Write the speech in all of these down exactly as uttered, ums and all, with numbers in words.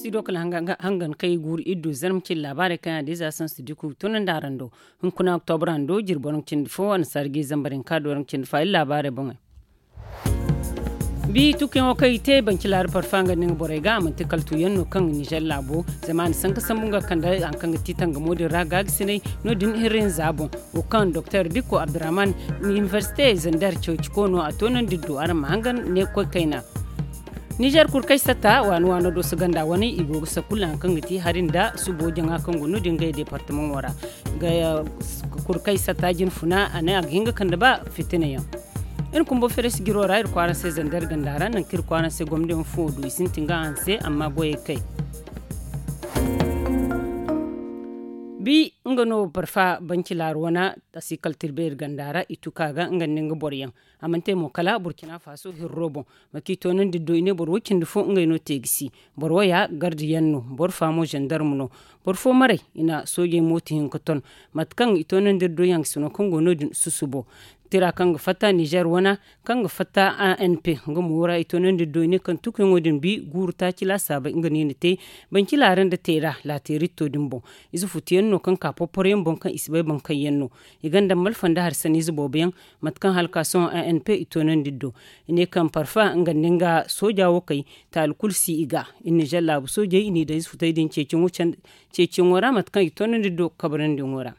Ido kala hangan kay guuru iddu zarma cindi laabaarey kaŋ yaŋ da ize a sansu diku tunandi araŋ do. Hunkuna oktobra hando jirbi waranka cindi fo annasaara ga i zambar hinka do waranka cindi fa iri laabaarey boŋey. Bi tukuyaŋo kaŋ i te banci laari parfa nga nda nga borey ga a manti kala tuuyaŋ no kaŋ nizer laabo zama a na sanka sambu nga kande hari kaŋ ga ti tangamo din ra gaagisinay. No- din hirrinza boŋ wo kaŋ doktor dikko abdurrahman inibersite zandar ceeci koono a toonandi do araŋ ma hangan ne koy kayna. Nizer kurkay satta waani waano do si ganda wane i go ga sakulla hari kaŋ ga ti hari nda subo jaŋa kaŋ go no- din ngey departamaŋo ra. Kurkay satta jinfuna a ne a ga hin ga kande ba fitina yaŋ. Iri kumbo feres jiro ra iri kwaara se zandar ganda ra nangu kaŋ iri kwaara se gomdiyaŋ fo du i sintin ga hanse amma goyey kay. Bi nga no barfa banci laaru wana a si kala tirbe iri ganda ra i tuka ga nga nda nga boro yaŋ. A mana te mo kala burkina faso hirro boŋ. Mate kaŋ i toonandi do i ne boro wo cindi fo ngey no te ga si. Boro wo ya gardiyaŋ no boro faamo zandarmu no. Boro fo maray i na soojey mooto hinka ton. Mate kaŋ i toonandi iri do yaŋ ga sino kaŋ go no- din susubo tira kaŋ ga fatta nizer wana kaŋ ga fatta a n p nga mo ra i toonandi iri do i ne kaŋ tukuyaŋo din bi guuru taaci laasaabey nga no i na te. Banci laara nda teera laateeritto din boŋ. Ize futuyaŋ no kaŋ ka porporoyaŋ boŋ kaŋ i si bay boŋ kaŋ yaŋ no. I gonda malfa nda hari sanniize boobo yaŋ. Mate kaŋ hala ka sohõ a n p i toonandi iri do i ne kaŋ parfa nga nda nga sooja wo kay. Taali kulu si i ga iri nizer laabu soojey i n'i daŋ ize futey din ceeciyaŋo ra mate kaŋ i toonandi iri do kabrandi yaŋo ra.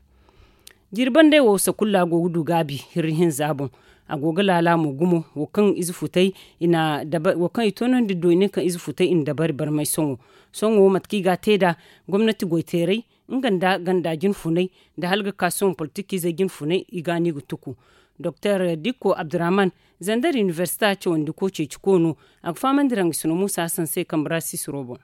Jiiri bandey wo sakulla go ga du gaabi hirri hinza boŋ. A go ga laala mo gumo wo kaŋ ize futey i na dabari wo kaŋ i toonandi iri do i ne kaŋ ize futey i na dabari barmay sohõ. Sohõ mate kaŋ i ga a te nd'a gomnati goyteeray nga nda ganda jinfunay nda hala ga ka sohõ politikiizey jinfunay i ga no i ga tuku. Doktor dikko abdurrahman zandar inibersita cawandiko ceeci koono. A ga fahamandi iri hangasino muusa hassan se kambe ra sisiro boŋ.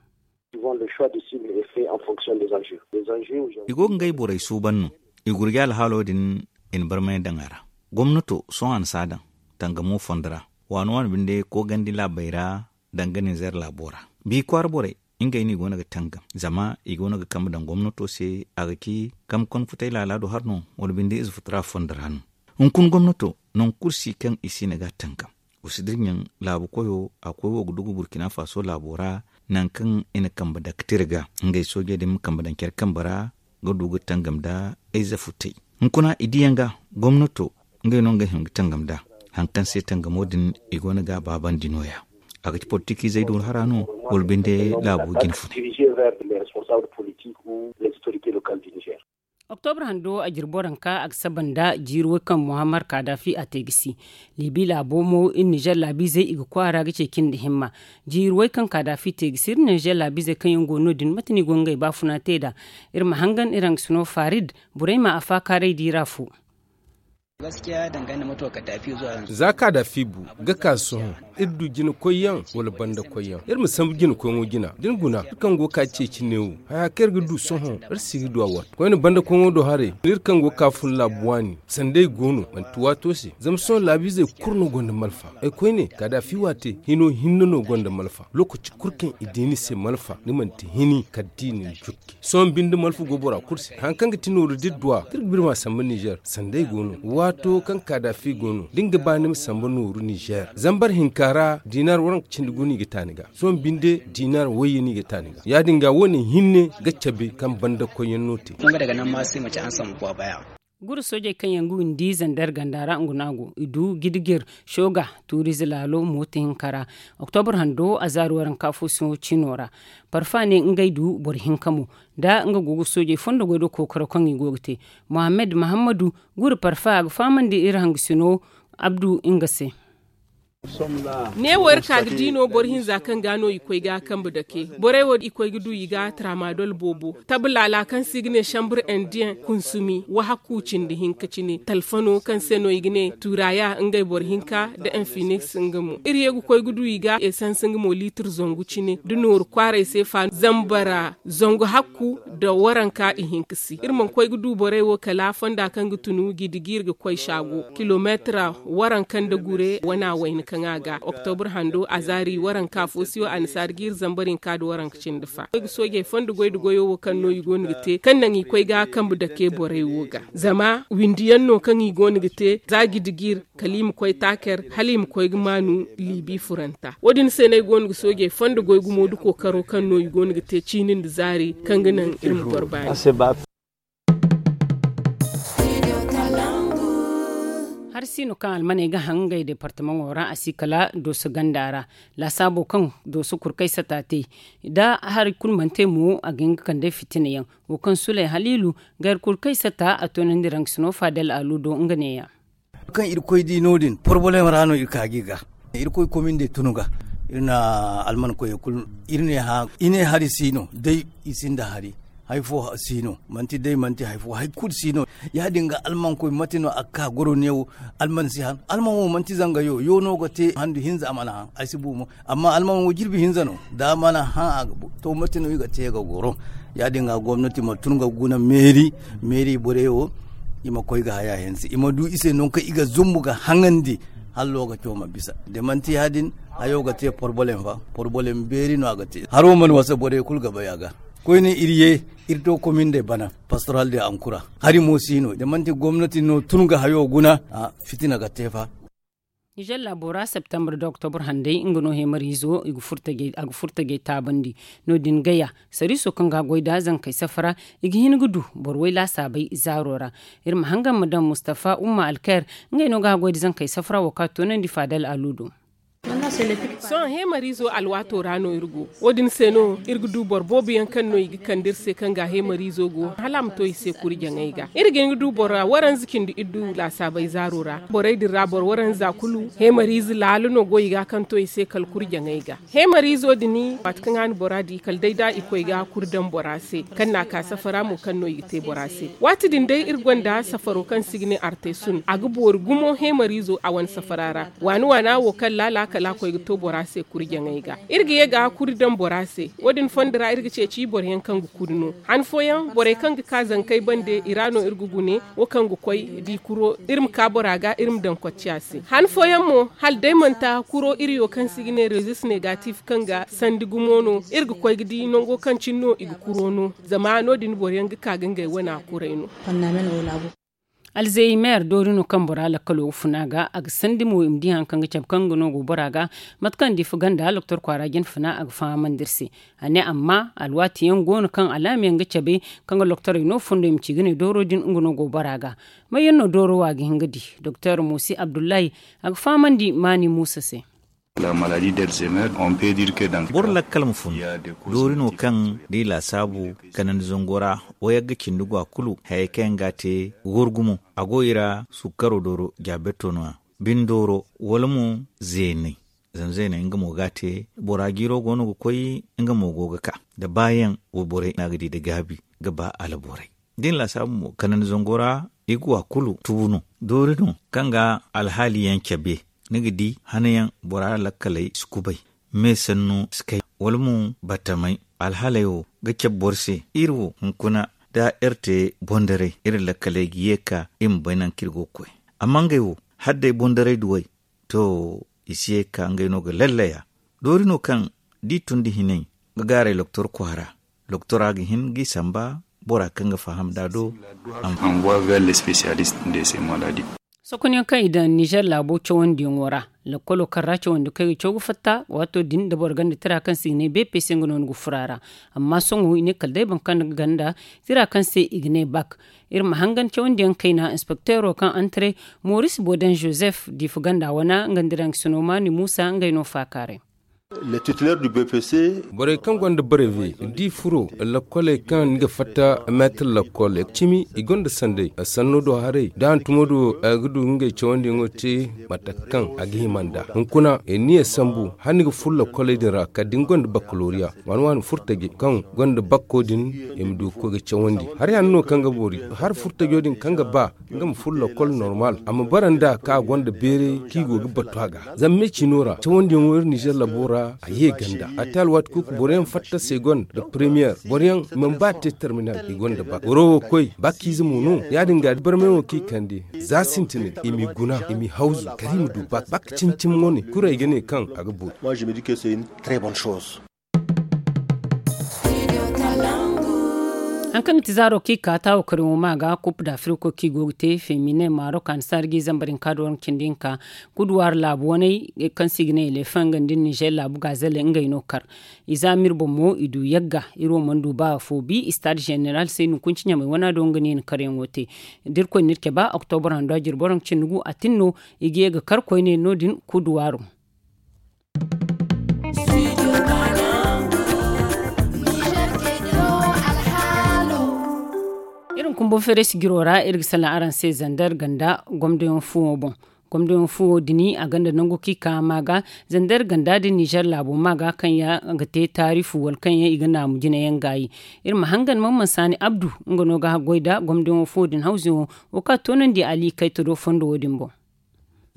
I go ga ngey borey suuban no. I gurji alhaalo din i na barmay daŋ a ra. Gomnato sohõ a na si a daŋ tangamo fondo ra. Waani waani binde koogandi laabey ra danga ninzeer laabo ra. Bi kwaara borey ngey no i go no ga tangam zama i go no ga kambe daŋ gomnato se. A ga ci kambe konfutay laala do hari no wala binde ize futura fondo ra no. Hunkuna gomnato nangu kulu si kaŋ i si na ga a tangam. Wa si dirɲaŋ laabu koyo a koy wo ga dugu burkina faso laabo ra. Nangu kaŋ i na kambe daktir ga ngey soojey din ma kambe daŋ care kambe ra ga du ga tangam nda ay zafutey. Hunkuna i diyaŋ ga gomnato ngey no ngey hima ga tangam nda hari kaŋ se tangamo din i go no ga a baabandi no- ya. A ga ci politikiizey do hara no wala binde laabu jinfunay. Oktobre hando a jirbi waranka a ga saba nda jiiri way kaŋ muhammad kadafi a te ga si. Libi laabo mo iri nizer laabiizey i ga kwaara ga ceeci nda himma. Jiiri way kaŋ kadafi te ga si iri nizer laabiizey kaŋ yaŋ go no- din mate no i go ngey baafuna te nd'a. Iri ma hangan iri hangasino farid burayma a faakaaray diira fo. Za kadafi bu ga ka sohõ iri du jinakoyyaŋ wala bandakoyyaŋ iri ma sambu jinakoyŋo jina da ni guna iri kaŋ go ga ka ceeci neewo haya kaŋ iri ga du sohõ iri si ga du a waati koyne bandakoyŋo do haray iri kaŋ go ga ka fun laabu waani sanda ay go no manti waato se zama sohõ laabiizey kulu no gonda malfa. Ay koyne kadafi waate hino hinne no gonda malfa. Lookaci kulu kaŋ i di ni se malfa ni manti hini kala da i na ni jukki. Sohõ binde malfa go bora kulu se hari kaŋ ga ti nooru da iri duw'a da iri ga birma samba nizer sanda ay go no waato kaŋ kadafi go no da ni ga ba ni ma samba nooru nizer zambar hinka ra dinar waranka cindi gu no i ga ta ni ga. Sohõ binde dinar wayye no i ga ta ni ga ya- din ga wo- ne hinne ga cabe kaŋ banda koyyaŋ no te. Guru soojey kaŋ yaŋ ga windi zandar ganda ra nga no a go i du gidigir shoga tuurize laalo mooto hinka ra. Oktobre hando a zaari waranka fo siŋo ciino ra. Parfa ne ngey du boro hinka mo da nga go ga soojey fondo goy do kookaro kaŋ i go ga te. Mohammed mahammadu guru parfa a ga fahamandi iri hangasino abdu nga se. Neewo iri ka ga di no boro hinza kaŋ ga no i koy ga kambe dake borey wo i koy ga du i ga tramadol boobo. Tablaala kaŋ se i ga ne chambre indien kunsumi wahakku cindi hinka cine talfano kaŋ se no i ga ne turaya ngey boro hinka nda infinix nga mo iri ye ga koy ga du i ga esans nga mo liitir zangu cine da nooru kwaaray se fa zambara zangu hakku nda waranka i hinka si iri mana koy ga du borey wo kala fonda kaŋ ga tunu gidigi iri ga koy saago kilomeetira waranka nda gure wana wayna kaŋ. Kaŋ a ga oktobur hando a zaari waranka fo siyo annasaari ga iri zambar hinka nda waranka cindi fa koy ga soojey fondo goy nda goyo wo kaŋ no i go no ga te kaŋ naŋ i koy ga kambe dake borey wo ga zama windi yaŋ no kaŋ i go no ga te za gidi ga iri kala i ma koy taaker hala i ma koy ga maanu liibi furanta wo- din se no ay go no ga soojey fondo goy gumo nda kookaro kaŋ no i go no ga te ciini nda zaari kaŋ ga naŋ iri ma goro baani. Hari siino kaŋ almaney ga haŋ ngey departamaŋo ra a si kala dooso ganda ra laasaabo kaŋ dooso kurkay sata te da hari kulu mana te mo a ga hin ga kande fitina yaŋ wo kaŋ suley haliilu ga hari kurkay sata a toonandi raŋ sino faadal aluudo nga neeya. Kaŋ irkoy di no- din porobolem ra no iri ka ga i ga irkoy komin de tun ga iri na alman koyey kulu iri ne hã i ne hari si no day i sinda hari. Hari fo si no manti day manti hari fo hari kulu si no. Ya- din ga almankoy mate no a ga ka goro neewo alman si han alman wo manti zanga yo yo no ga te handu hinza a mana han ay si bu mo. Amma alman wo jirbi hinza no da a mana hã a ga bu to mate no i ga te ga goro. Ya- din ga gomnati ma tun ga guna meeri meeri borey wo i ma koy ga haya hinza i ma du i se nangu kaŋ i ga zumbu ga haŋandi hala lokaco ma bisa da manti ya- din hayo ga te porobolem fa porobolem beeri no a ga te haro mana wasa borey kulu ga bay a ga koyne iri ye iri to komin de bana pastoral de ankura hari mo si no da manti gomnati no tun ga hayo guna fitina ga te fa. Nizer laabo ra septembre da oktobur handay nga no heemariizo a ga furtajey taabandi. No- din gaya sariiso kaŋ ga a goy nd'a zankey safara i ga hin ga du boro way laasaabey zaaro ra. Iri ma hangan ma daŋ mustafa umma alkair ngey no ga a goy nda zankey safara wo kaŋ a toonandi faadal aluudo. Sohõ heemariizo alwaato ra no iri go wo- din se no iri ga du boro boobo yaŋ kaŋ no i ga kande iri se kaŋ ga heemariizo go hala a ma to i se kurjaŋey ga iri ga hin ga du boro waranza cindi iri du laasaabey zaaro ra borey din ra boro waranza kulu heemariize laalu no go i ga kaŋ to i se kala kurjaŋey ga. Heemariizo din waati kaŋ a na bora di kala day da i koy ga kuri daŋ bora se kaŋ na a ka safara mo kaŋ no i ga te bora se. Waati din day iri gonda safaro kaŋ se i ga ne artesun a ga boori gumo heemariizo a wane safara ra waani waana wo kaŋ laala kala a koy ga to bora se kuri jaŋey ga. Iri ga ye ga kuri daŋ bora se wo- din fondo ra iri ga ceeci boro yaŋ kaŋ ga kuri no han fooyaŋ borey kaŋ ga ka zankey bande i ra no iri ga gune wo kaŋ ga koy da i kuro iri ma ka bora ga iri ma daŋ kocciya se han fooyaŋ mo hala day manti kuro iri yo kaŋ se i ga ne rezis negatif kaŋ ga sandi gumo no iri ga koy ga di nango kaŋ cine no i ga kuro no. Zama no- din boro yaŋ ga ka ga ngey wana kuray no. Alzehimer doori no kaŋ bora lakkalo ga funa ga a ga sandi mo i ma di hari kaŋ ga cabe kaŋ ga no go bora ga. Mate kaŋ diifa ganda doktor kwaara jina funa a ga fahamandi iri se. A ne amma alwaati yaŋ go no kaŋ alaama yaŋ ga cabe kaŋ ga doktorey no fondo i ma ci ga ne dooro din nga no go bora ga. May yaŋ no dooro wo a ga hin ga di? Doktor muusi abdullahi a ga fahamandi maani muusa se. Boro lakkal ma fun doori no kaŋ da i laasaabu kanandi zango ra. Wayagga cindi go a kulu hayey kaŋ yaŋ ga a te ga war gumo a go i ra sukkaro dooro jaabeto no- ya bine dooro wala mo zeenay. Zama zeenay nga mo ga a te bora jiiro go no ga koy nga mo go ga ka nda baayaŋ wayborey no a ga di nda gaabi ga ba alborey. Da i na laasaabu mo kanandi zango ra i ga wa kulu tubu no. Doori no kaŋ ga alhaali yaŋ cabe ni ga di hana yaŋ bora lakkaley si kubay me sanno si kay wala mo batamay. Alhaaley wo ga cabe boro se iri wo hunkuna da iri te bondaray iri lakkaley ga ye ga ka iri ma bay nangu kaŋ iri go ga koy. Amma ngey wo hala day bondaray duwey to i si ye ga ka ngey no ga lallaya. Doori no kaŋ da i tun da hinay ga gaaray loktor kwaara loktora ga hin ga i samba bora kaŋ ga faham nd'a do. Sokonyaŋ kaŋ i daŋ nizer laabo cawandiyaŋo ra lakkolo kaŋ ra cawandi kaŋ i ga caw ga fatta waato din da boro ganda tira kaŋ se i ga ne bpc nga no ni ga furo a ra. Amma sohõ i ne kala day boro kaŋ ga ganda tira kaŋ se i ga ne bak. Iri ma hangan cawandiyaŋ kayna inspekteero kaŋ antre moris boden joseph diifa ganda wana nga nda iraŋ ga sinomaani muusa ngey no faakaaray. Borey kaŋ gonda bareve da i furo lakkoley kaŋ ni ga fatta meetir lakkol cimi i gonda sanday sanno do haray da hantumo do a ga du ngey cawandiyaŋo te mate kaŋ a ga hima nd'a. Hunkuna i niya sambu hala ni ga furo lakkoley din ra kala da ni gonda bakkaloriya waani waani furtaje kaŋ gonda bakko din i ma du ga koy ga cawandi. Hari hanno kaŋ ga boori hari furtajo din kaŋ ga ba nga ma furo lakkol normal a ma bara nd'a kaŋ a gonda beeray kaŋ i go ga battu a ga. Zama me cino ra cawandiyaŋo iri nizer labo ra. A ye ganda a te alwaati kulu ka boro yaŋ fatta segonda nda premiyer boro yaŋ i mana ba te terminal i gonda bak boro wo koy bakiize mo no. Ya- din ga da barmay wo kaŋ i kande za sintinay i m'i guna i m'i hawzu kala i ma du bak bak cimi cimi wane kulu ay ga ne kaŋ a ga boori. Hari kaŋ ga ti zaaro kaŋ i ka taawo kariyaŋo ma ga kup da afiriko kaŋ i go ga te femine marok annasaara ga i zambar hinka da waranka cindi hinka kuduwaari laabu waney kaŋ se i ga ne elefaŋ nga nda nizer laabu gaazelle ngey no kar. I za ma iri boŋ mo i du yagga iri wo mana du ba afo bi istaad zeneral se i na hukunci ɲamay wana do nga no i na karyaŋo te. Da irkoy na iri cabe oktobra hando a jirbi waranka cindi gu a tin no i ga ye ga kar koyne no- din kuduwaaro. Iri ma kumbu feeray sijiro ra iri ga salaŋ araŋ se zander ganda gomdoyaŋ fuwo boŋ. Gomdoyaŋ fuwo din a gonda nangu kaŋ i ka ma ga zander ganda da nizer laabo ma ga kaŋ yaŋ ga te taarifu wala kaŋ yaŋ i ga naamu jinayaŋ gaayi. Iri ma hangan mamman saani abdu nga no ga goy nda gomdoyaŋ fuwo din hawzuyaŋo wo kaŋ a toonandi ali kayta do fondo wo- din boŋ.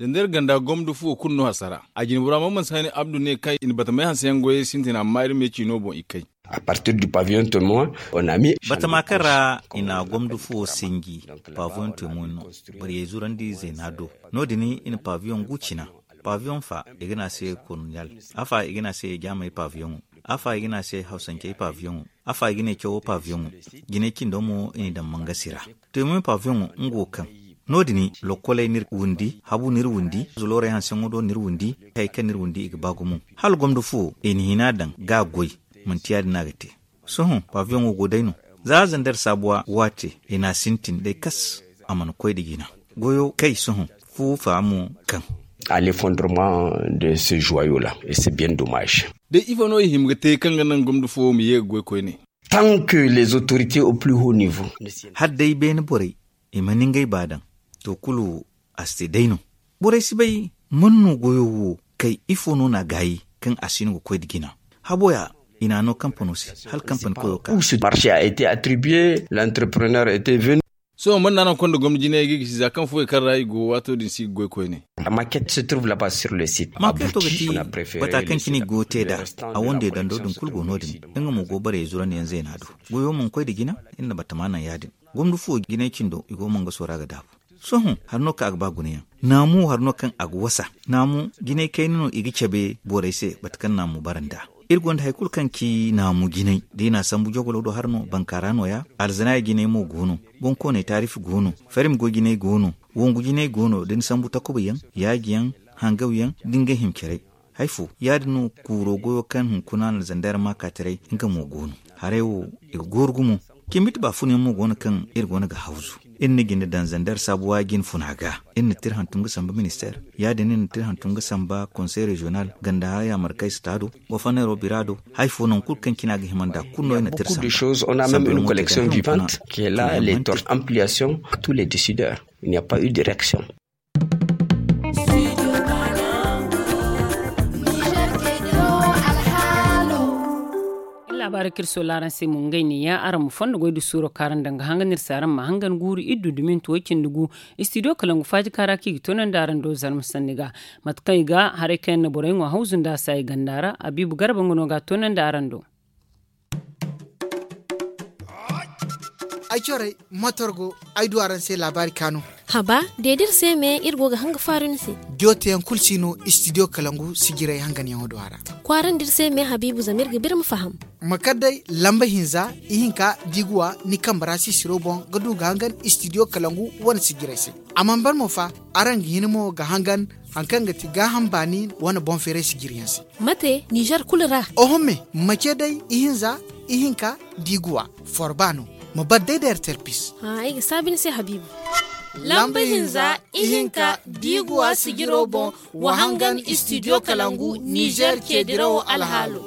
Zander ganda gomdo fuwo kulu no hasara a jinbura mamman saani abdu ne kaŋ i na batamay hanseyaŋ goyey sintin amma iri me ciino boŋ i kay. A partir du paviyon tomo on a mi. Batama kaŋ ra i na gomdo fuwo sinji paviyon tomo no. Bariyey zurandi zeena do no- din i na paviyon gu cina. Paviyon fa i ga ne a se koloniyal. Afa i ga ne a se jaamey paviyoŋo. Afa i ga ne a se hawsancey paviyoŋo. Afa i ga ne cawo paviyoŋo. Jinay cindo mo i n'i daŋ mangasi ra. Teemuyaŋ paviyoŋo nga wo kaŋ no- din lokkoley n'iri windi habu n'iri windi zuloorey hanseyaŋo do n'iri windi. Hayey kaŋ n'iri windi i ga ba gumo hala gomdo fuwo i na hina daŋ ga a goy. Manti ya- din no a ga te. Sohõ paviyoŋo go day no. Za zander saabuwa waate i n'a sintin day kas a mana koy nda jina. Goyo kay sohõ fuwo fa mo kaŋ. A l'effondrement de ce joyau la et c'est bien dommage. Day ifo no i hima ga te kaŋ ga naŋ gomdo fuwo ma ye ga goy koyne? Tant que les autorités au plus haut niveau. Hala day beene borey i mana ngey ba daŋ to kulu a si te day no. Borey si bay man no goyo wo kay ifo no n'a gaayi kaŋ a si no ga koy nda jina. Habo ya i n'a no kampano se hala kampani koyo ka. Marché a été attribué l'entrepreneur était venu. Sohõ man no a naŋ konda gomna jinayey ga i gisi za kaŋ fuwey kaŋ ra i go waato din si ga goy koyne. Maket se trouve laba sur le site. Maketo ga ti bata kaŋ cine i go ga te nd'a. A wande dando din kulu go no- din nga mo go barey zurandiyaŋ zeena do. Goyo mana koy nda jina. Iri na batama naŋ ya- din gomna fuwo jinay cindo i go mangaso ra ga daabu. Sohõ hari no kaŋ a ga ba gunayaŋ. Naamu hari no kaŋ a ga wasa. Naamu jinay kayna no i ga cabe borey se mate kaŋ naamu bara nd'a. Iri gonda hari kulu kaŋ ci naamu jinay da i n'a sambu jogolo do hari no bankaara nooya. Alzanaaya jinay mo go no. Bonkooney taarifi go no. Farim goy jinay go no. Wongu jinay go no da ni sambu takuba yaŋ yaaji yaŋ hangaw yaŋ da ngey hima caray. Hari fo ya- din no kuuro goyo kaŋ hunkuna na zander maakaataray nga mo go no. Haray wo i ga gooru gumo. Cimbiti baafunyaŋ mo go no kaŋ iri go no ga hawzu. Iri na jinde daŋ zander saabuwa jine funa ga. Iri na tira hantum ga samba ministeer ya- din iri na tira hantum ga samba konsey reziyonal ganda yaamarkay sitaado. Goforneero bira do hari fo nangu kulu kaŋ cine a ga hima nd'a kulu no iri na tira samba. Ampliation à tous les décideurs. Il n'y a pas eu de réaction. Laabaari kaŋ iri soola araŋ se mo ngey ne ya araŋ ma fondo goy da suuro kaŋ araŋ daŋ ga hangan iri se araŋ ma hangan guuru iri du duminti way cindi gu. Istidiyo kalangu faaji kaara kaŋ i ga toonandi araŋ do zarma sanni ga. Mate kaŋ i ga haray kaŋ yaŋ na borey ŋwa hawzu nda a se ay ganda ra abiibu garba nga no ga a toonandi araŋ do. Ay corey motor go ay du araŋ se laabaari kaanu. Haba, deedi iri se me iri go ga hanga faaru ni se. Diyo teyaŋ kulu si no istidiyo kalangu sijiray hanganyaŋo do a ra. Kwaarandi iri se me habiibu zama iri ga biri ma faham. Ma kar day lamba hinza ihinka da i ga wa ni kambe ra sisiro boŋ ga du ga hangan istidiyo kalangu wane sijiray se. A mana ban mo fa, araŋ ga hin mo ga hangan hari kaŋ ga ti gaaham baani wane boŋ feeray sijiriyaŋ se. Mate nizer kulu ra? Oho me, mace day ihinza ihinka da i ga wa forba no. Ma bar day da ertel pis. Ay ga saabi ni se habiibu. Lamba hinza ihinka da i ga wa sijiro boŋ, wa hangan istidiyo kalangu nizer ceedirawo alhaalo.